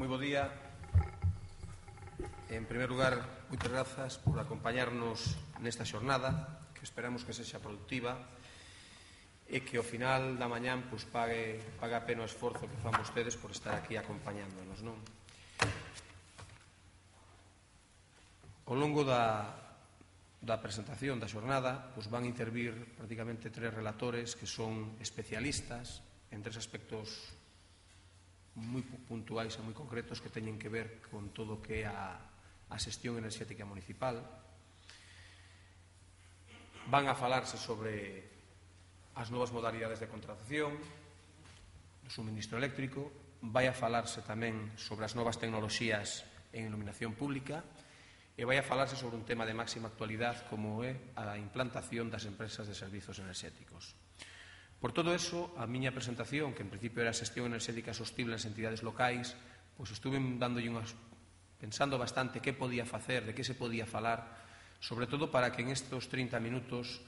Moi bo día. En primer lugar, moitas grazas por acompañarnos nesta xornada, que esperamos que sexa productiva e que ao final da mañán pague a pena o esforzo que fan vostedes por estar aquí acompañándonos, non? Ao longo da presentación da xornada van intervir prácticamente 3 relatores que son especialistas en 3 aspectos moi puntuais e moi concretos que teñen que ver con todo o que é a xestión enerxética municipal. Van a falarse sobre as novas modalidades de contratación do suministro eléctrico, vai a falarse tamén sobre as novas tecnoloxías en iluminación pública e vai a falarse sobre un tema de máxima actualidade como é a implantación das empresas de servizos enerxéticos. Por todo eso, a miña presentación, que en principio era a xestión enerxética sostible nas entidades locais, estuve pensando bastante que podía facer, de que se podía falar, sobre todo para que en estes 30 minutos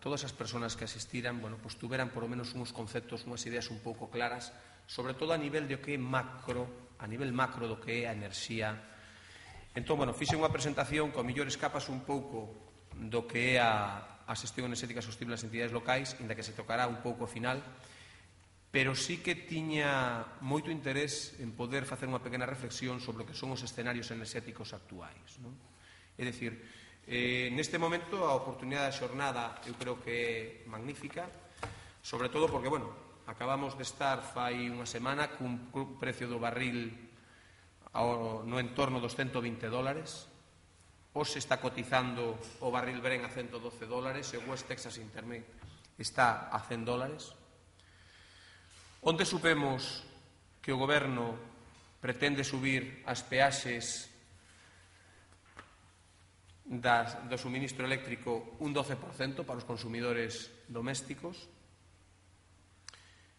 todas as persoas que asistiran tuveran por lo menos uns conceptos, unhas ideas un pouco claras, sobre todo a nivel do que é macro, a nivel macro do que é a enerxía. Entón, fixe unha presentación que ao mellor escapas un pouco do que é a xestión enerxética sostible nas entidades locais, inda que se tocará un pouco ao final, pero sí que tiña moito interés en poder facer unha pequena reflexión sobre o que son os escenarios enerxéticos actuais. É dicir, neste momento a oportunidade da xornada eu creo que é magnífica, sobre todo porque, acabamos de estar fai unha semana cun precio do barril no entorno dos $120. Hoxe está cotizando o barril Brent a $112 e o West Texas Intermediate está a $100. Onde supemos que o Goberno pretende subir as peaxes do suministro eléctrico un 12% para os consumidores domésticos.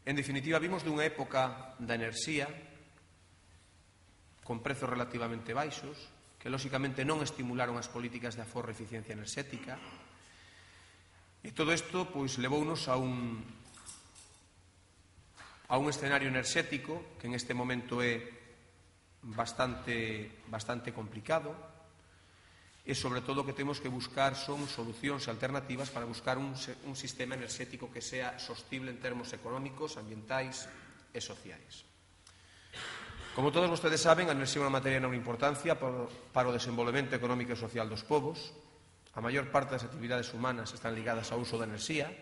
En definitiva, vimos dunha época da enerxía con prezos relativamente baixos, que lóxicamente non estimularon as políticas de aforro e eficiencia enerxética. E todo isto levounos a un escenario enerxético que en este momento é bastante complicado e sobre todo o que temos que buscar son solucións alternativas para buscar un sistema enerxético que sea sostible en termos económicos, ambientais e sociais. Como todos vostedes saben, a enerxía é unha materia de enorme importancia para o desenvolvemento económico e social dos povos. A maior parte das actividades humanas están ligadas ao uso da enerxía.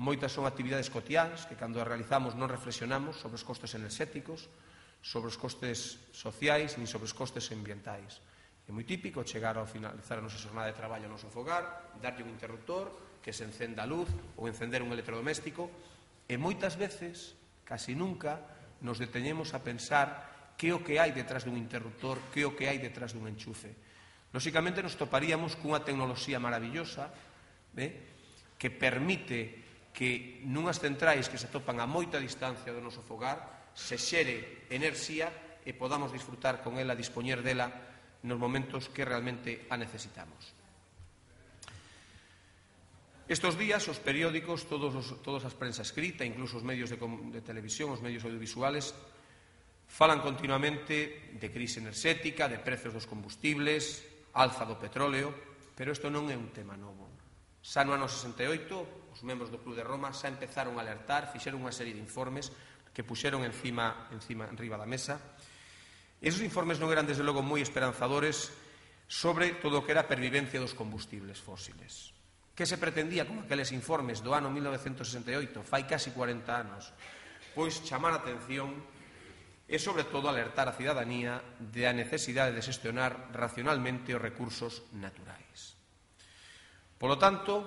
Moitas son actividades cotiáns que, cando as realizamos, non reflexionamos sobre os costes enerxéticos, sobre os costes sociais, nin sobre os costes ambientais. É moi típico chegar ao finalizar a nosa xornada de traballo ao noso fogar, darlle un interruptor, que se encenda a luz ou encender un electrodoméstico, e moitas veces, casi nunca, nos deteñemos a pensar que é o que hai detrás dun interruptor, que é o que hai detrás dun enchufe. Lóxicamente, nos toparíamos cunha tecnoloxía maravillosa que permite que nunhas centrais que se atopan a moita distancia do noso fogar se xere enerxía e podamos disfrutar con ela, dispoñer dela nos momentos que realmente a necesitamos. Estos días, os periódicos, todas as prensa escrita, incluso os medios de televisión, os medios audiovisuales, falan continuamente de crise enerxética, de prezos dos combustibles, alza do petróleo, pero isto non é un tema novo. Xa no ano 68, os membros do Club de Roma xa empezaron a alertar, fixeron unha serie de informes que puxeron enriba da mesa. Esos informes non eran, desde logo, moi esperanzadores sobre todo o que era a pervivencia dos combustibles fósiles. Que se pretendía con aqueles informes do ano 1968, fai casi 40 anos? Chamar a atención e, sobre todo, alertar a cidadanía da necesidade de xestionar racionalmente os recursos naturais. Polo tanto,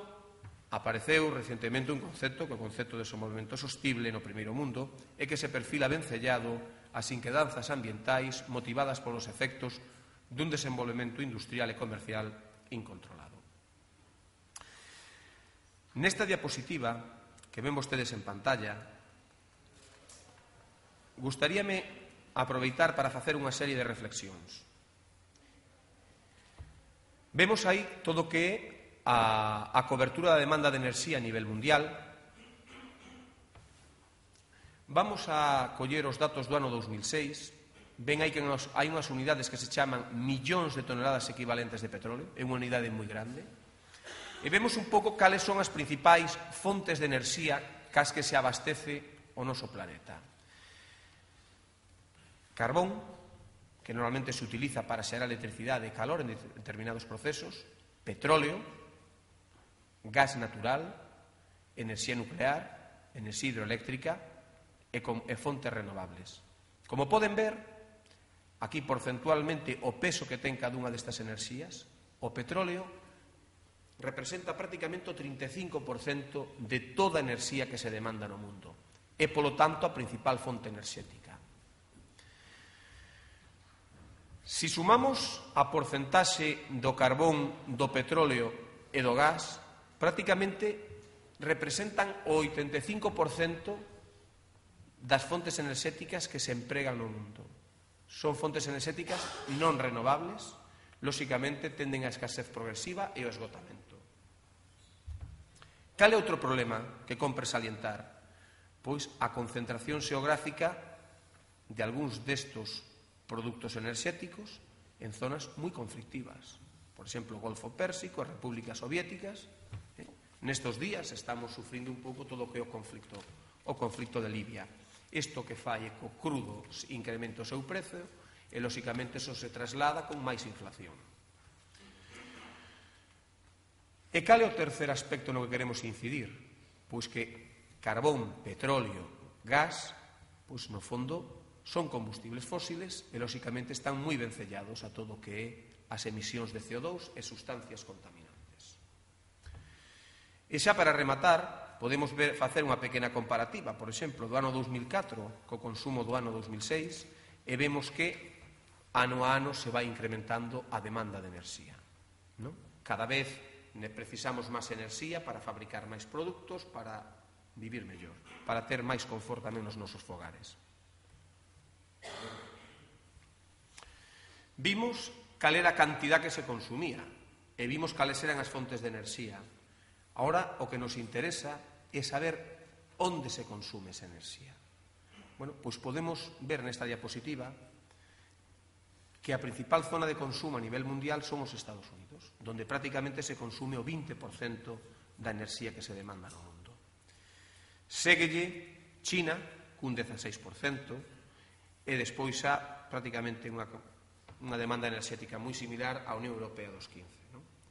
apareceu recentemente un concepto, que é o concepto de desenvolvemento sostible no primeiro mundo, e que se perfila vencellado ás inquedanzas ambientais motivadas polos efectos dun desenvolvemento industrial e comercial incontrolado. Nesta diapositiva que ven vostedes en pantalla, gustaríame aproveitar para facer unha serie de reflexións. Vemos aí todo o que é a cobertura da demanda de enerxía a nivel mundial. Vamos a coller os datos do ano 2006. Ven aí que hai unhas unidades que se chaman millóns de toneladas equivalentes de petróleo, é unha unidade moi grande, e vemos un pouco cales son as principais fontes de enerxía cas que se abastece o noso planeta. Carbón, que normalmente se utiliza para xerar electricidade e calor en determinados procesos, petróleo, gas natural, enerxía nuclear, enerxía hidroeléctrica e fontes renovables. Como poden ver, aquí porcentualmente o peso que ten cada unha destas enerxías, o petróleo representa prácticamente o 35% de toda a enerxía que se demanda no mundo e, polo tanto, a principal fonte enerxética. Si sumamos a porcentaxe do carbón, do petróleo e do gas, prácticamente representan o 85% das fontes enerxéticas que se empregan no mundo. Son fontes enerxéticas non renovables, lóxicamente tenden a escasez progresiva e o esgotamento. Cal é outro problema que compre salientar? Pois a concentración xeográfica de algúns destos produtos enerxéticos en zonas moi conflictivas. Por exemplo, o Golfo Pérsico, as repúblicas soviéticas. Nestos días estamos sufrindo un pouco todo o que é o conflicto de Libia. Isto que fai co crudo incrementa o seu prezo e, lóxicamente, eso se traslada con máis inflación. E cal é o terceiro aspecto no que queremos incidir? Pois que carbón, petróleo, gas, pois no fondo son combustibles fósiles e, lóxicamente, están moi vencellados a todo o que é as emisións de CO2 e sustancias contaminantes. E xa para rematar, podemos facer unha pequena comparativa, por exemplo, do ano 2004 co consumo do ano 2006 e vemos que ano a ano se vai incrementando a demanda de enerxía. Cada vez precisamos máis enerxía para fabricar máis produtos, para vivir mellor, para ter máis confort tamén nos nosos fogares. Vimos cal era a cantidad que se consumía e vimos cales eran as fontes de enerxía. Ahora, o que nos interesa é saber onde se consume esa enerxía. Bueno, pois podemos ver nesta diapositiva que a principal zona de consumo a nivel mundial son os Estados Unidos, donde prácticamente se consume o 20% da enerxía que se demanda no mundo. Séguelle China, cun 16%, e despois xa prácticamente unha demanda enerxética moi similar á Unión Europea dos 15%.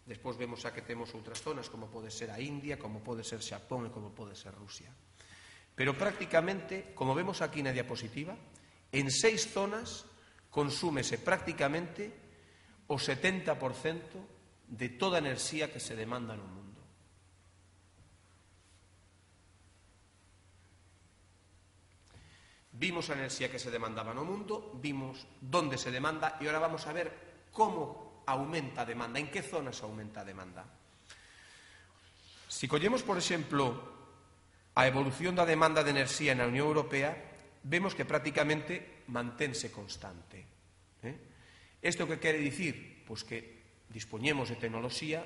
Despois vemos xa que temos outras zonas, como pode ser a India, como pode ser Xapón e como pode ser Rusia. Pero prácticamente, como vemos aquí na diapositiva, en 6 zonas consúmese prácticamente o 70% de toda a enerxía que se demanda no mundo. Vimos a enerxía que se demandaba no mundo, vimos onde se demanda e agora vamos a ver como aumenta a demanda, en que zonas aumenta a demanda. Si collemos, por exemplo, a evolución da demanda de enerxía na Unión Europea, vemos que prácticamente mantense constante. Isto que quere dicir? Pois que dispoñemos de tecnoloxía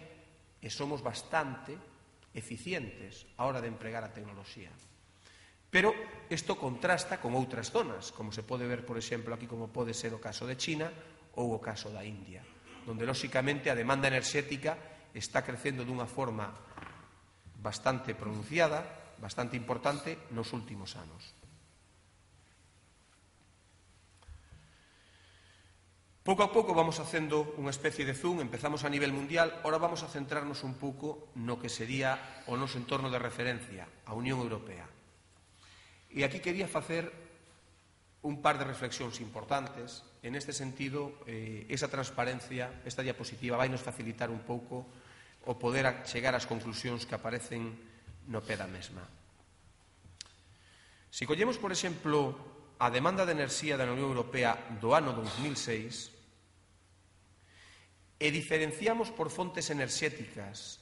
e somos bastante eficientes a hora de empregar a tecnoloxía. Pero isto contrasta con outras zonas, como se pode ver, por exemplo, aquí como pode ser o caso de China ou o caso da India, donde, lóxicamente, a demanda enerxética está crecendo dunha forma bastante pronunciada, bastante importante nos últimos anos. Pouco a pouco vamos facendo unha especie de zoom, empezamos a nivel mundial, ahora vamos a centrarnos un pouco no que sería o noso entorno de referencia, a Unión Europea. E aquí quería facer un par de reflexións importantes. En este sentido, esa transparencia, esta diapositiva, vai nos facilitar un pouco o poder chegar ás conclusións que aparecen no pé da mesma. Si collemos, por exemplo, a demanda de enerxía da Unión Europea do ano 2006 e diferenciamos por fontes enerxéticas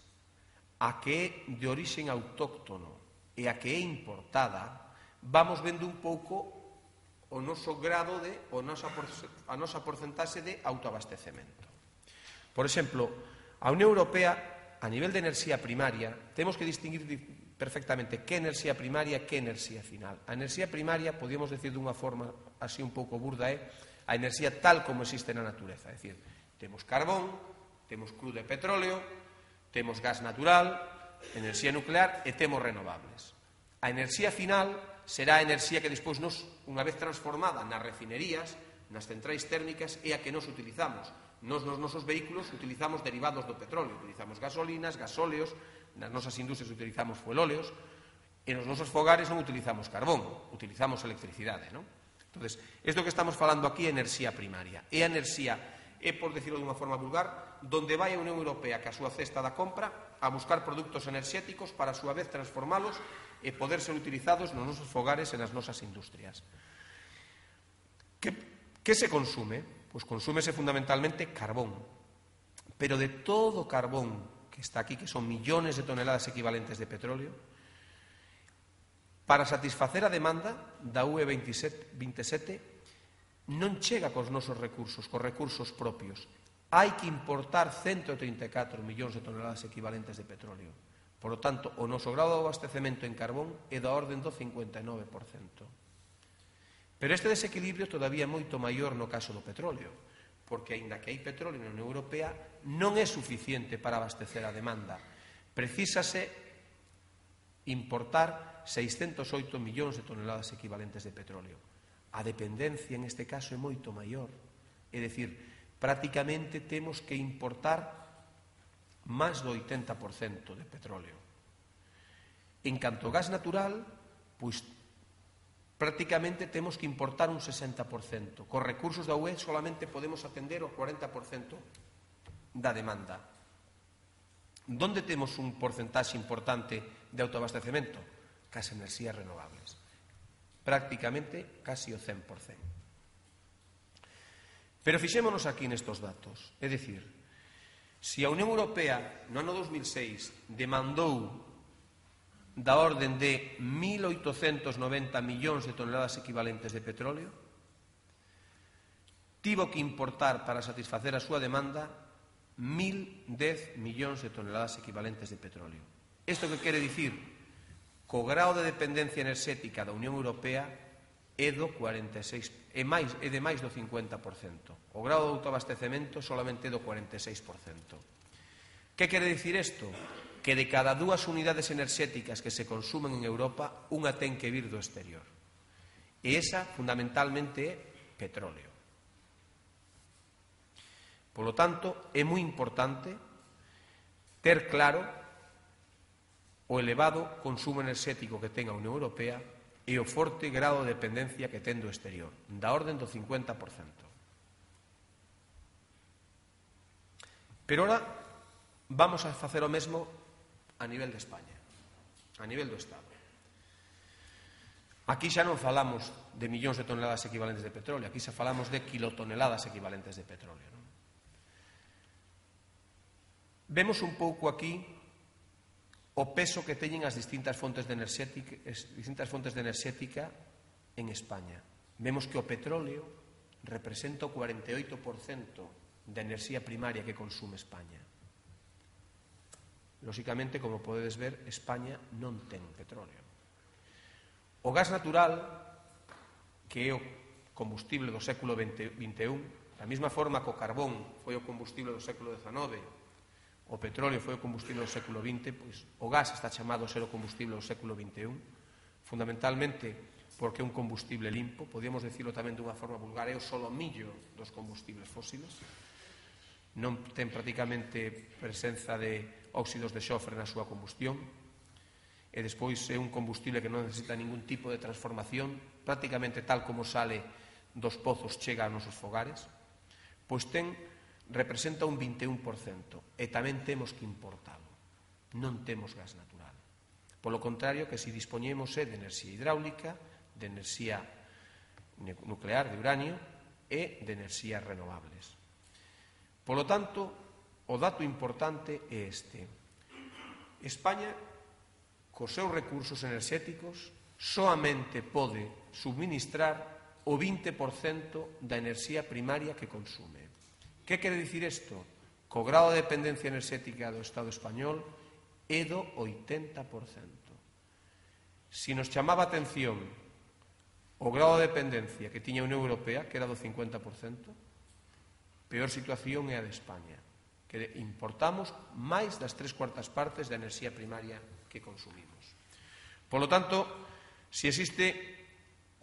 a que é de orixen autóctono e a que é importada, vamos vendo un pouco o noso grado a nosa porcentaxe de autoabastecemento. Por exemplo, a Unión Europea, a nivel de enerxía primaria, temos que distinguir perfectamente que enerxía primaria e que enerxía final. A enerxía primaria, podíamos decir dunha forma así un pouco burda, é a enerxía tal como existe na natureza. É dicir, temos carbón, temos crudo e petróleo, temos gas natural, enerxía nuclear e temos renovables. A enerxía final será a enerxía que despois nos, unha vez transformada nas refinerías, nas centrais térmicas, é a que nos utilizamos. Nos nosos vehículos utilizamos derivados do petróleo, utilizamos gasolinas, gasóleos, nas nosas industrias utilizamos fuelóleos, e nos nosos fogares non utilizamos carbón, utilizamos electricidade, non? Entonces, isto que estamos falando aquí é enerxía primaria. É a enerxía, é, por decirlo dunha forma vulgar, donde vai a Unión Europea que a súa cesta da compra a buscar produtos enerxéticos para a súa vez transformalos e poder ser utilizados nos nosos fogares e nas nosas industrias. Que se consume? Pois consúmese fundamentalmente carbón. Pero de todo o carbón que está aquí, que son millones de toneladas equivalentes de petróleo, para satisfacer a demanda da UE 27 non chega cos nosos recursos, cos recursos propios. Hai que importar 134 millóns de toneladas equivalentes de petróleo. Por lo tanto, o noso grado de abastecemento en carbón é da orden do 59%. Pero este desequilibrio todavía é moito maior no caso do petróleo, porque, aínda que hai petróleo na Unión Europea, non é suficiente para abastecer a demanda. Precísase importar 608 millóns de toneladas equivalentes de petróleo. A dependencia, en este caso, é moito maior. É dicir, prácticamente temos que importar máis do 80% de petróleo. En canto ao gas natural, pois prácticamente temos que importar un 60%. Cos recursos da UE solamente podemos atender o 40% da demanda. Donde temos un porcentaxe importante de autoabastecemento? Cas enerxías renovables. Prácticamente casi o 100%. Pero fixémonos aquí nestos datos. É dicir, se a Unión Europea no ano 2006 demandou da orden de 1.890 millóns de toneladas equivalentes de petróleo, tivo que importar para satisfacer a súa demanda 1.010 millóns de toneladas equivalentes de petróleo. Isto que quere dicir? Co grao de dependencia enerxética da Unión Europea é do 46%, é de máis do 50%. O grao de autoabastecemento solamente é do 46%. Que quere dicir isto? Que de cada 2 unidades enerxéticas que se consumen en Europa, unha ten que vir do exterior. E esa, fundamentalmente, é petróleo. Polo tanto, é moi importante ter claro o elevado consumo enerxético que ten a Unión Europea e o forte grado de dependencia que ten do exterior, da orden do 50%. Pero ora vamos a facer o mesmo a nivel de España, a nivel do Estado. Aquí xa non falamos de millóns de toneladas equivalentes de petróleo, aquí xa falamos de kilotoneladas equivalentes de petróleo, non? Vemos un pouco aquí o peso que teñen as distintas fontes de enerxética en España. Vemos que o petróleo representa o 48% da enerxía primaria que consume España. Lóxicamente, como podedes ver, España non ten petróleo. O gas natural, que é o combustible do século XXI, da mesma forma que o carbón foi o combustible do século XIX, o petróleo foi o combustible do século XX, pois o gas está chamado a ser o combustible do século XXI, fundamentalmente porque é un combustible limpo, podíamos decirlo tamén dunha forma vulgar, é o solomillo dos combustibles fósiles, non ten prácticamente presenza de óxidos de xofre na súa combustión, e despois é un combustible que non necesita ningún tipo de transformación, prácticamente tal como sale dos pozos chega aos nosos fogares, pois representa un 21%, e tamén temos que importalo. Non temos gas natural. Polo contrario, que se dispoñemos de enerxía hidráulica, de enerxía nuclear, de uranio, e de enerxías renovables. Polo tanto, o dato importante é este. España, cos seus recursos enerxéticos, soamente pode subministrar o 20% da enerxía primaria que consume. Que quere dicir isto? Co grado de dependencia enerxética do Estado español é do 80%. Si nos chamaba a atención o grado de dependencia que tiña a Unión Europea, que era do 50%, peor situación é a de España, que importamos máis das 3/4 partes da enerxía primaria que consumimos. Por lo tanto, se existe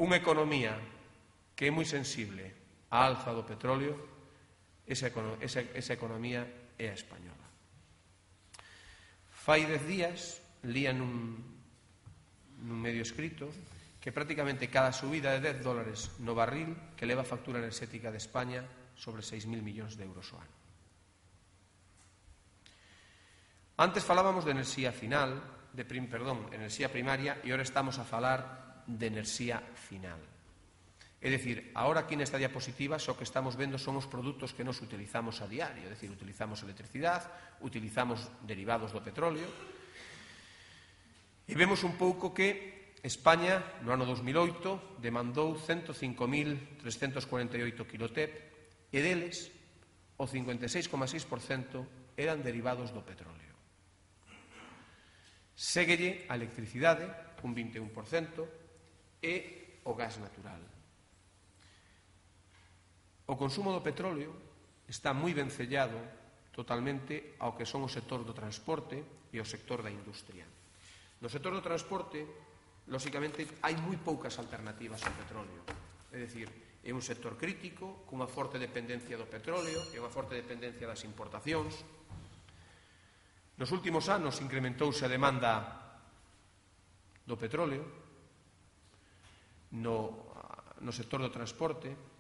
unha economía que é moi sensible á alza do petróleo, esa economía é a española. Fai 10 días, lía nun medio escrito, que prácticamente cada subida de $10 no barril que leva a factura enerxética de España sobre 6.000 millóns de euros ao ano. Antes falábamos de enerxía final, enerxía primaria, e agora estamos a falar de enerxía final. É dicir, agora aquí nesta diapositiva só que estamos vendo son os produtos que nos utilizamos a diario, é dicir, utilizamos electricidade, utilizamos derivados do petróleo, e vemos un pouco que España, no ano 2008, demandou 105.348 kilotep e deles o 56,6% eran derivados do petróleo. Séguelle a electricidade, un 21%, e o gas natural. O consumo do petróleo está moi vencellado totalmente ao que son o sector do transporte e o sector da industria. No sector do transporte, lóxicamente, hai moi poucas alternativas ao petróleo. É dicir, é un sector crítico, cunha forte dependencia do petróleo e unha forte dependencia das importacións. Nos últimos anos incrementouse a demanda do petróleo no sector do transporte,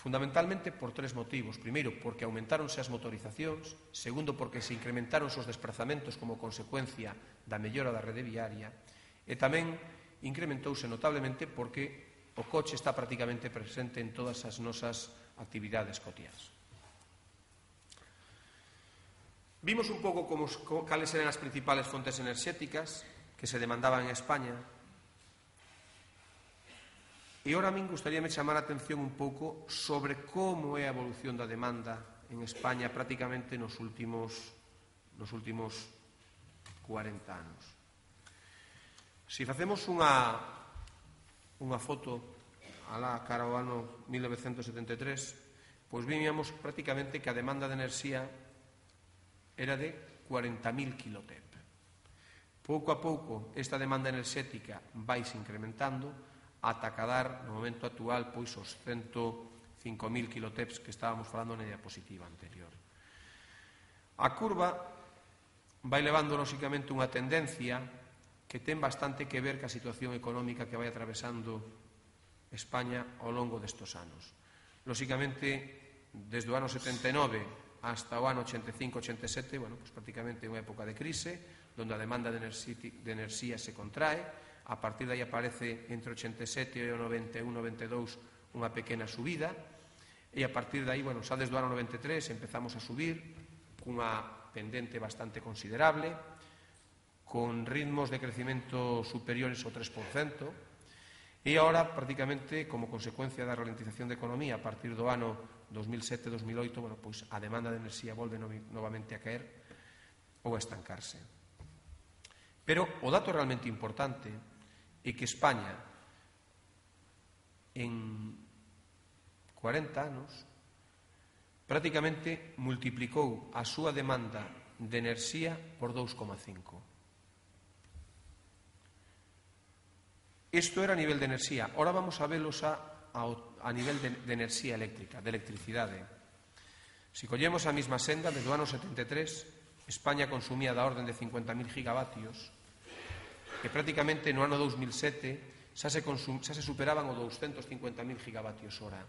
fundamentalmente por 3 motivos. Primeiro, porque aumentáronse as motorizacións. Segundo, porque se incrementaron os desplazamentos como consecuencia da mellora da rede viaria. E tamén incrementouse notablemente porque o coche está prácticamente presente en todas as nosas actividades cotiás. Vimos un pouco cales eran as principales fontes enerxéticas que se demandaban en España. E ora a min gustaríame chamar a atención un pouco sobre como é a evolución da demanda en España prácticamente nos últimos 40 anos. Se facemos unha foto alá cara ao ano 1973, pois víamos prácticamente que a demanda de enerxía era de 40.000 kilotep. Pouco a pouco esta demanda enerxética vaise incrementando ata cadar, no momento actual, pois os 105.000 kiloteps que estábamos falando na diapositiva anterior. A curva vai levando, lóxicamente, unha tendencia que ten bastante que ver ca situación económica que vai atravesando España ao longo destos anos. Lóxicamente, desde o ano 79 hasta o ano 85-87, pois prácticamente é unha época de crise, onde a demanda de enerxía se contrae. A partir de aí aparece entre o 87 e o 91-92 unha pequena subida, e a partir de aí, xa desde o ano 93 empezamos a subir cunha pendente bastante considerable, con ritmos de crecimento superiores ao 3%, e agora, prácticamente, como consecuencia da ralentización da economía a partir do ano 2007-2008, pois a demanda de enerxía volve novamente a caer ou a estancarse. Pero o dato realmente importante é que España en 40 anos prácticamente multiplicou a súa demanda de enerxía por 2,5. Isto era a nivel de enerxía. Ora vamos a velos a nivel de enerxía eléctrica, de electricidade. Se collemos a mesma senda, desde o ano 73, España consumía da orden de 50.000 gigavatios, que prácticamente no ano 2007 xa se superaban o 250.000 gigavatios hora.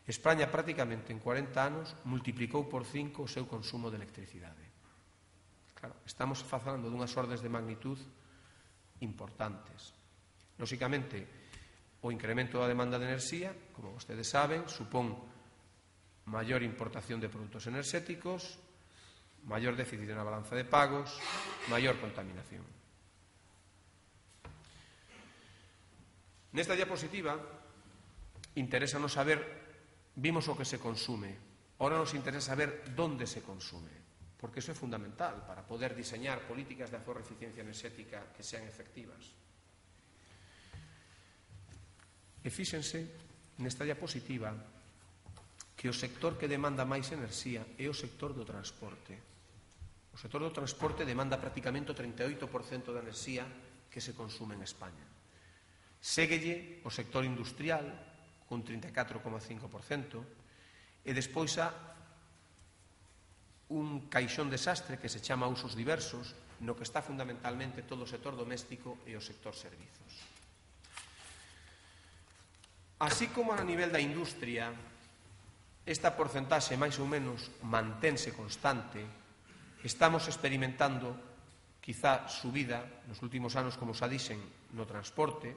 España prácticamente en 40 anos multiplicou por 5 o seu consumo de electricidade. Claro, estamos falando dunhas ordes de magnitud importantes. Lóxicamente, o incremento da demanda de enerxía, como vostedes saben, supón maior importación de produtos enerxéticos, maior déficit na balanza de pagos, maior contaminación. Nesta diapositiva interésanos saber, vimos o que se consume, ahora nos interesa saber onde se consume. porque iso é fundamental para poder diseñar políticas de aforro e eficiencia enerxética que sean efectivas. E fíxense nesta diapositiva que o sector que demanda máis enerxía é o sector do transporte. O sector do transporte demanda prácticamente o 38% da enerxía que se consume en España. Séguelle o sector industrial con 34,5% e despois há un caixón desastre que se chama usos diversos, no que está fundamentalmente todo o sector doméstico e o sector servizos. Así como a nivel da industria, esta porcentaxe máis ou menos mantense constante, estamos experimentando quizá subida nos últimos anos, como xa dixen, no transporte,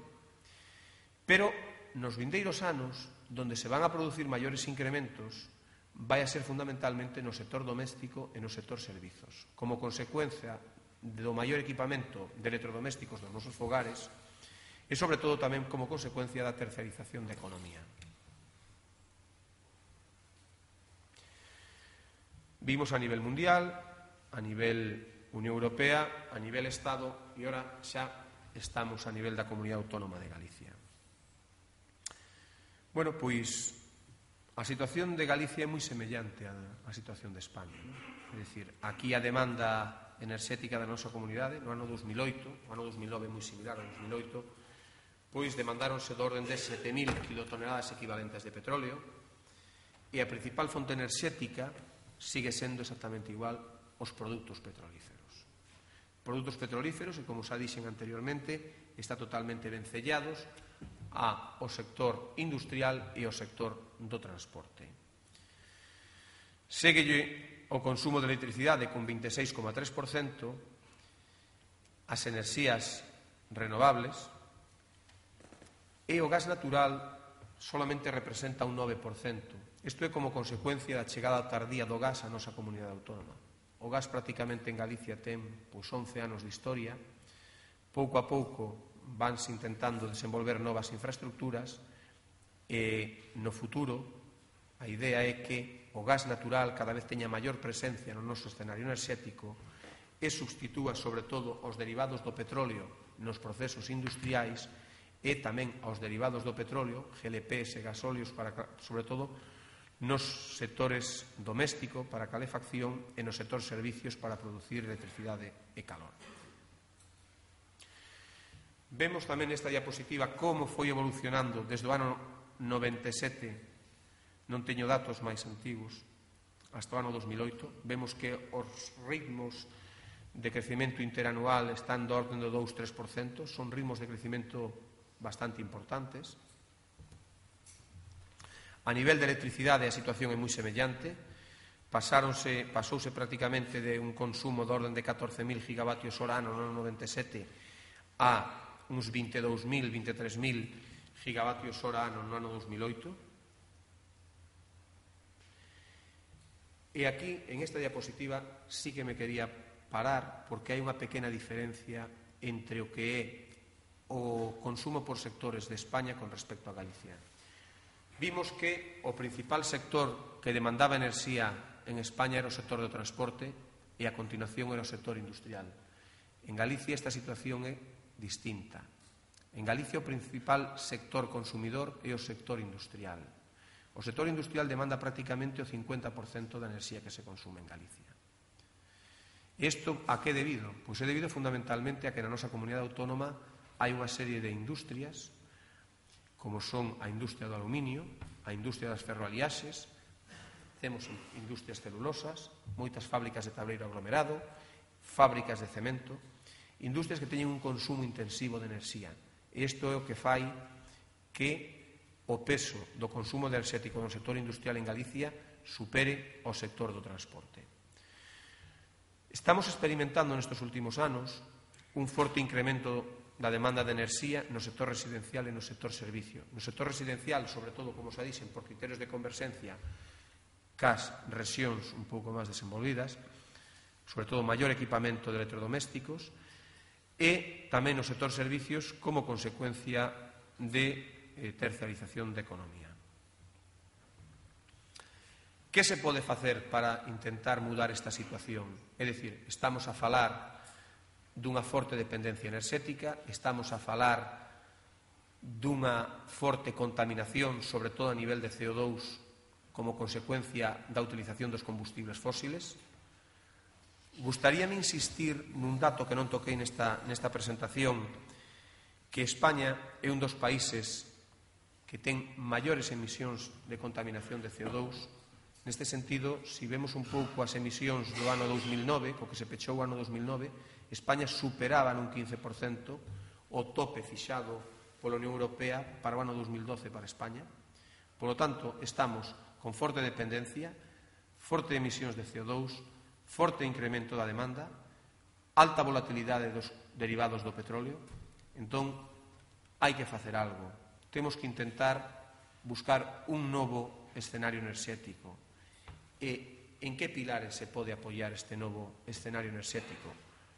pero nos vindeiros anos, donde se van a producir maiores incrementos, vai a ser fundamentalmente no sector doméstico e no sector servizos, como consecuencia do maior equipamento de electrodomésticos dos nosos fogares e, sobre todo, tamén como consecuencia da terciarización da economía. Vimos a nivel mundial, a nivel Unión Europea, a nivel Estado e ora xa estamos a nivel da Comunidade Autónoma de Galicia. Bueno, pois a situación de Galicia é moi semellante á situación de España. É dicir, aquí a demanda enerxética da nosa comunidade no ano 2008, o ano 2009 é moi similar ao 2008, pois demandáronse de orden de 7.000 kilotoneladas equivalentes de petróleo e a principal fonte enerxética sigue sendo exactamente igual os produtos petrolíferos. Produtos petrolíferos, e como xa dixen anteriormente, está totalmente vencellados ao sector industrial e ao sector do transporte. Séguelle o consumo de electricidade con 26,3%, as enerxías renovables, e o gas natural solamente representa un 9%. Isto é como consecuencia da chegada tardía do gas á nosa comunidade autónoma. O gas prácticamente en Galicia ten 11 anos de historia. Pouco a pouco vanse intentando desenvolver novas infraestructuras e no futuro a idea é que o gas natural cada vez teña maior presencia no noso escenario enerxético e substitúa sobre todo os derivados do petróleo nos procesos industriais e tamén aos derivados do petróleo, GLPs e gasóleos, sobre todo nos sectores doméstico para calefacción e no sector servicios para producir electricidade e calor. Vemos tamén nesta diapositiva como foi evolucionando desde o ano 97, non teño datos máis antigos, hasta o ano 2008. Vemos que os ritmos de crecemento interanual están do orden do 2-3%, son ritmos de crecemento bastante importantes. A nivel de electricidade a situación é moi semellante, pasouse prácticamente de un consumo de orden de 14.000 gigavatios hora ano no ano 97 a uns 22.000, 23.000 gigavatios hora ano no ano 2008. E aquí, en esta diapositiva, sí que me quería parar porque hai unha pequena diferencia entre o que é o consumo por sectores de España con respecto a Galicia. Vimos que o principal sector que demandaba enerxía en España era o sector do transporte e a continuación era o sector industrial. En Galicia esta situación é distinta. En Galicia o principal sector consumidor é o sector industrial. O sector industrial demanda prácticamente o 50% da enerxía que se consume en Galicia. Isto a que é debido? Pois é debido fundamentalmente a que na nosa comunidade autónoma hai unha serie de industrias, como son a industria do aluminio, a industria das ferroaliaxes, temos industrias celulosas, moitas fábricas de tableiro aglomerado, fábricas de cemento, industrias que teñen un consumo intensivo de enerxía. E isto é o que fai que o peso do consumo enerxético no sector industrial en Galicia supere o sector do transporte. Estamos experimentando nestes últimos anos un forte incremento da demanda de enerxía no sector residencial e no sector servicio. No sector residencial, sobre todo, como xa dixen, por criterios de converxencia cas rexións un pouco máis desenvolvidas, sobre todo maior equipamento de electrodomésticos, e tamén no sector servicios como consecuencia de terciarización da economía. Que se pode facer para intentar mudar esta situación? É dicir, estamos a falar dunha forte dependencia enerxética, estamos a falar dunha forte contaminación, sobre todo a nivel de CO2, como consecuencia da utilización dos combustibles fósiles. Gustaríame insistir nun dato que non toquei nesta presentación, que España é un dos países que ten maiores emisións de contaminación de CO2. Neste sentido, se vemos un pouco as emisións do ano 2009, co que se pechou o ano 2009, España superaba nun 15% o tope fixado pola Unión Europea para o ano 2012 para España. Por lo tanto, estamos con forte dependencia, forte emisións de CO2, forte incremento da demanda, alta volatilidade dos derivados do petróleo. Entón, hai que facer algo. Temos que intentar buscar un novo escenario enerxético. E en que pilares se pode apoiar este novo escenario enerxético?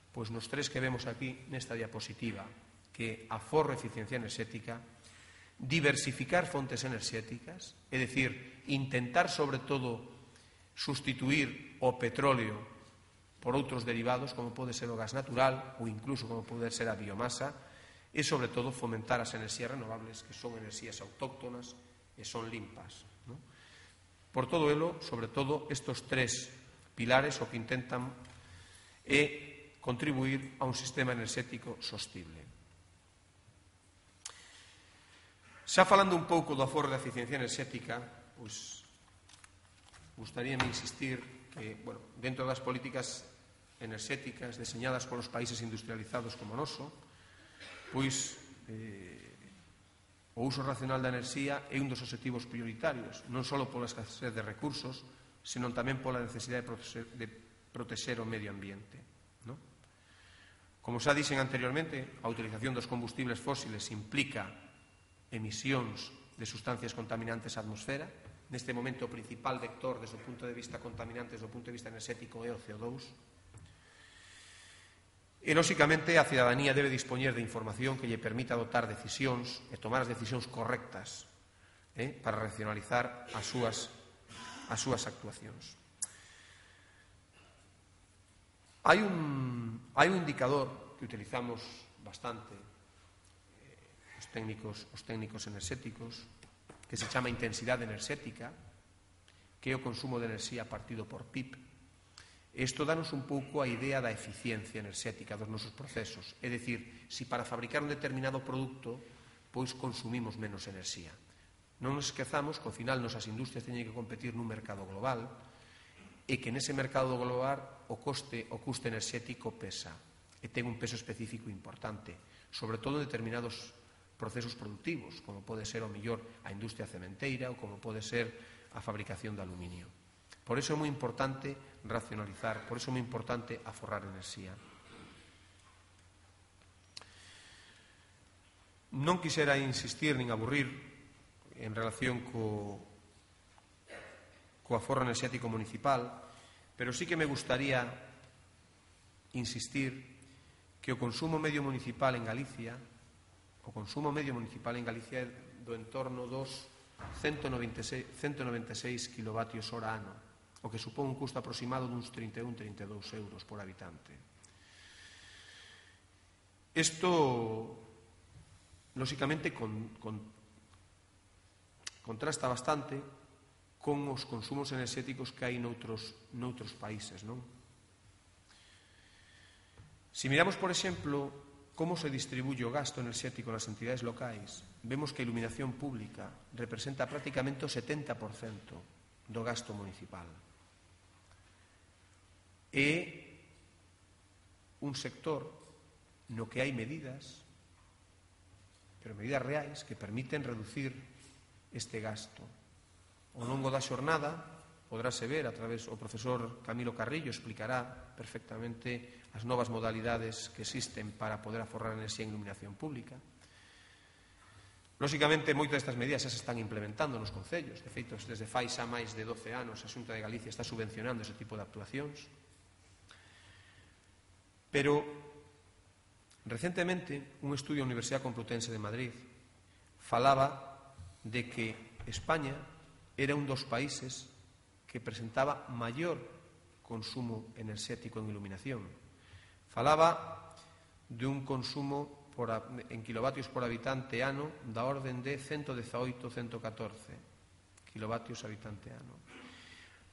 Pois nos tres que vemos aquí nesta diapositiva, que aforro e eficiencia enerxética, diversificar fontes enerxéticas, é dicir, intentar sobre todo sustituir o petróleo por outros derivados, como pode ser o gas natural ou incluso como pode ser a biomasa, e sobre todo fomentar as enerxías renovables, que son enerxías autóctonas e son limpas. Por todo elo, sobre todo, estes tres pilares o que intentan é contribuir a un sistema enerxético sostible. Xa falando un pouco do aforro da eficiencia enerxética, pois gustaríame insistir que, dentro das políticas enerxéticas deseñadas polos países industrializados como o noso, pois o uso racional da enerxía é un dos obxectivos prioritarios, non só pola escasez de recursos, senón tamén pola necesidade de protexer o medio ambiente. Como xa dixen anteriormente, a utilización dos combustibles fósiles implica emisións de sustancias contaminantes á atmosfera. Neste momento, o principal vector desde o punto de vista contaminante, desde o punto de vista enerxético, é o CO2. E, lóxicamente, a cidadanía debe dispoñer de información que lle permita adoptar decisións e tomar as decisións correctas para racionalizar as súas actuacións. Hai un indicador que utilizamos bastante os técnicos enerxéticos, que se chama intensidade enerxética, que é o consumo de enerxía partido por PIB. Isto danos un pouco a idea da eficiencia enerxética dos nosos procesos. É dicir, se para fabricar un determinado produto, pois consumimos menos enerxía. Non nos esquezamos que ao final nosas industrias teñen que competir nun mercado global e que nese mercado global o custe enerxético pesa e ten un peso específico importante, sobre todo en determinados procesos productivos, como pode ser o mellor a industria cementeira ou como pode ser a fabricación de aluminio. Por iso é moi importante racionalizar, por iso é moi importante aforrar enerxía. Non quixera insistir nin aburrir en relación co aforro enerxético municipal, pero sí que me gustaría insistir que o consumo medio municipal en Galicia é do entorno dos 196 kilovatios hora ano, o que supón un custo aproximado duns 31-32 euros por habitante. Isto, lóxicamente, contrasta bastante con os consumos enerxéticos que hai noutros países, non? Se miramos, por exemplo, como se distribuye o gasto enerxético nas entidades locais, vemos que a iluminación pública representa prácticamente o 70% do gasto municipal. É un sector no que hai medidas, pero medidas reais, que permiten reducir este gasto. Ao longo da xornada podráse ver, a través o profesor Camilo Carrillo explicará perfectamente as novas modalidades que existen para poder aforrar enerxía en iluminación pública. Lóxicamente, moitas destas medidas xa se están implementando nos concellos. De feito, desde fai xa máis de 12 anos a Xunta de Galicia está subvencionando ese tipo de actuacións. Pero, recentemente, un estudio da Universidade Complutense de Madrid falaba de que España era un dos países que presentaba maior consumo enerxético en iluminación. Falaba dun consumo en kilovatios por habitante ano da orden de 118-114 kilovatios habitante ano,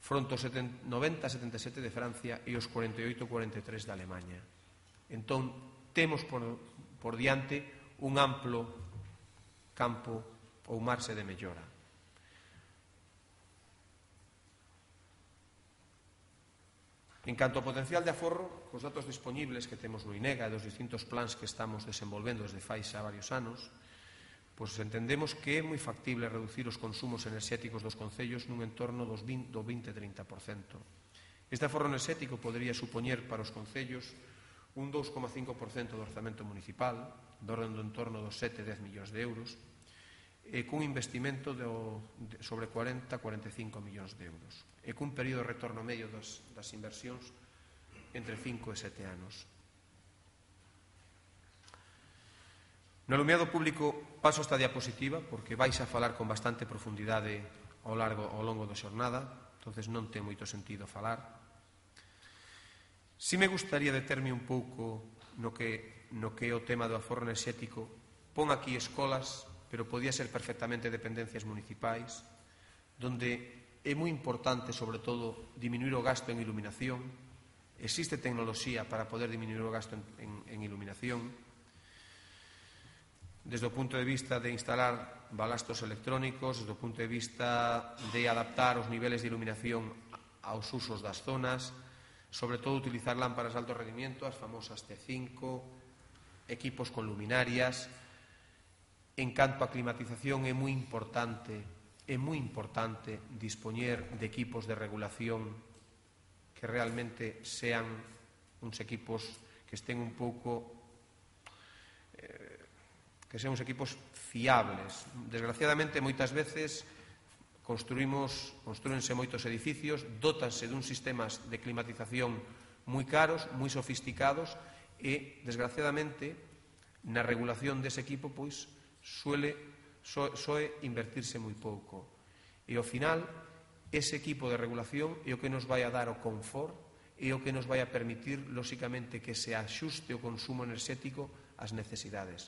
fronte aos 90-77 de Francia e os 48-43 de Alemanha. Entón, temos por diante un amplo campo ou marxe de mellora. En canto ao potencial de aforro, cos datos disponibles que temos no INEGA e dos distintos plans que estamos desenvolvendo desde fai xa varios anos, pois entendemos que é moi factible reducir os consumos enerxéticos dos concellos nun entorno do 20-30%. Este aforro enerxético podería supoñer para os concellos un 2,5% do orzamento municipal, do orden do entorno dos 7-10 millóns de euros, e cun investimento sobre 40-45 millóns de euros, e cun período de retorno medio das inversións entre 5 e 7 anos. No alumiado público paso esta diapositiva porque vais a falar con bastante profundidade ao longo da xornada, entonces non ten moito sentido falar. Si me gustaría determe un pouco no que é o tema do aforro enerxético. Pon aquí escolas, pero podía ser perfectamente dependencias municipais, donde é moi importante, sobre todo, diminuir o gasto en iluminación. Existe tecnoloxía para poder diminuir o gasto en iluminación. Desde o punto de vista de instalar balastos electrónicos, desde o punto de vista de adaptar os niveles de iluminación aos usos das zonas, sobre todo utilizar lámparas de alto rendimiento, as famosas T5, equipos con luminarias. En canto a climatización é moi importante dispoñer de equipos de regulación que realmente sean uns equipos que estén un pouco que sean uns equipos fiables. Desgraciadamente, moitas veces construínse moitos edificios, dótanse dun sistemas de climatización moi caros, moi sofisticados e, desgraciadamente, na regulación dese equipo, pois, soe invertirse moi pouco. E, ao final, ese equipo de regulación é o que nos vai a dar o confort, é o que nos vai a permitir, lóxicamente, que se axuste o consumo enerxético ás necesidades.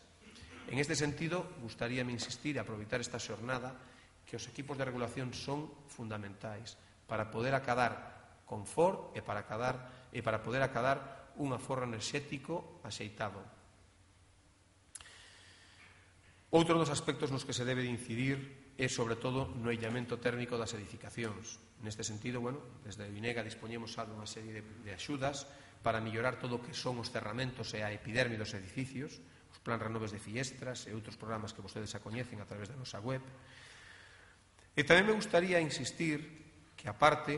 En este sentido, gustaríame insistir e aproveitar esta xornada que os equipos de regulación son fundamentais para poder acadar confort e para poder acadar un aforro enerxético axeitado. Outro dos aspectos nos que se debe de incidir é, sobre todo, no illamento térmico das edificacións. Neste sentido, desde a INEGA dispoñemos xa dunha serie de axudas para mellorar todo o que son os cerramentos e a epiderme dos edificios, os plans renoves de fiestras e outros programas que vostedes xa coñecen a través da nosa web. E tamén me gustaría insistir que, aparte,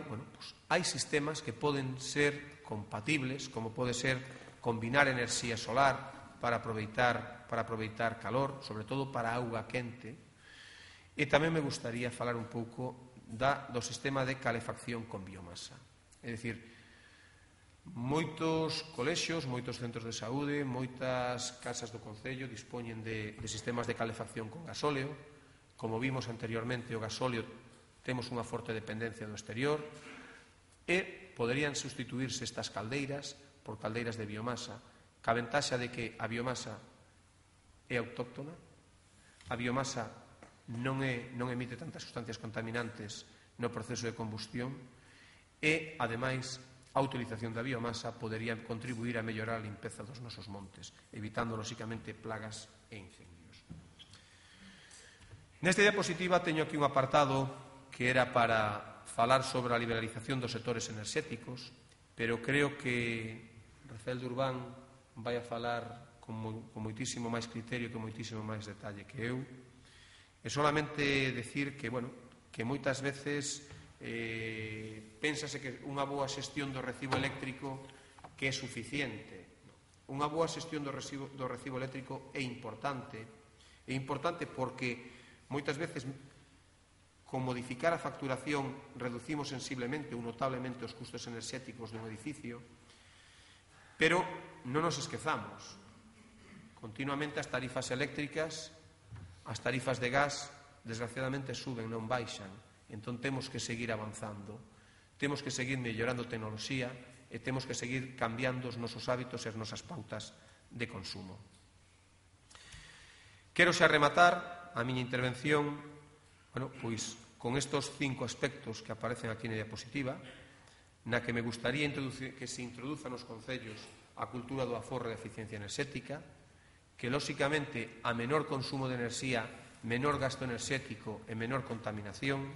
hai sistemas que poden ser compatibles, como pode ser combinar enerxía solar para aproveitar calor, sobre todo para auga quente. E tamén me gustaría falar un pouco do sistema de calefacción con biomasa. É dicir, moitos colexios, moitos centros de saúde, moitas casas do concello dispoñen de sistemas de calefacción con gasóleo. Como vimos anteriormente, o gasóleo temos unha forte dependencia do exterior e poderían sustituirse estas caldeiras por caldeiras de biomasa, ca ventaxa de que a biomasa é autóctona, a biomasa non emite tantas sustancias contaminantes no proceso de combustión e, ademais, a utilización da biomasa podería contribuir a mellorar a limpeza dos nosos montes, evitando, lóxicamente, plagas e incendios. Nesta diapositiva teño aquí un apartado que era para falar sobre a liberalización dos sectores enerxéticos, pero creo que Rafael Durban vai a falar con moitísimo máis criterio e con moitísimo máis detalle que eu. E solamente decir que moitas veces pénsase que unha boa xestión do recibo eléctrico que é suficiente. Unha boa xestión do recibo eléctrico é importante. É importante porque moitas veces con modificar a facturación reducimos sensiblemente ou notablemente os custos enerxéticos dun edificio, pero non nos esquezamos. Continuamente as tarifas eléctricas, as tarifas de gas, desgraciadamente suben, non baixan. Entón temos que seguir avanzando. temos que seguir mellorando tecnoloxía e temos que seguir cambiando os nosos hábitos e as nosas pautas de consumo. Quero xa rematar a miña intervención pois con estes 5 aspectos que aparecen aquí na diapositiva, na que me gustaría que se introduza nos concellos a cultura do aforro e da eficiencia enerxética, que, lóxicamente, a menor consumo de enerxía, menor gasto enerxético e menor contaminación.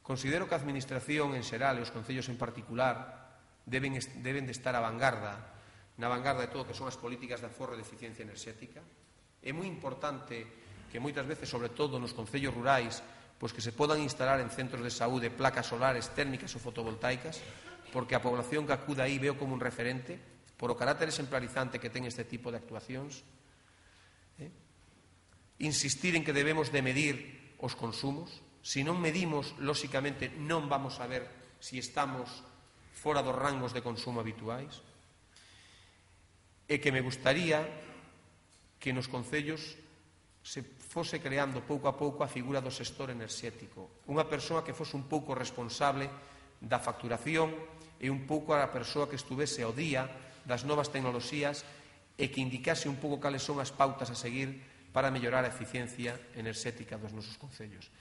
Considero que a Administración en xeral e os concellos en particular deben de estar na vanguarda de todo o que son as políticas de aforro e de eficiencia enerxética. É moi importante que moitas veces, sobre todo nos concellos rurais, pois que se podan instalar en centros de saúde placas solares térmicas ou fotovoltaicas, porque a población que acuda aí veo como un referente por o carácter exemplarizante que ten este tipo de actuacións. Insistir en que debemos de medir os consumos. Se non medimos, lóxicamente, non vamos a ver se estamos fora dos rangos de consumo habituais. E que me gustaría que nos concellos se fose creando pouco a pouco a figura do xestor enerxético. Unha persoa que fose un pouco responsable da facturación e un pouco a persoa que estuvese ao día das novas tecnoloxías e que indicase un pouco cales son as pautas a seguir para mellorar a eficiencia enerxética dos nosos concellos.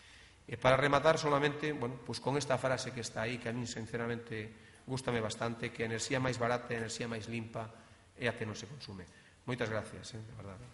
E para rematar solamente, pois con esta frase que está aí, que a min sinceramente gústame bastante, que a enerxía máis barata e a enerxía máis limpa é a que non se consume. Moitas gracias, de verdade.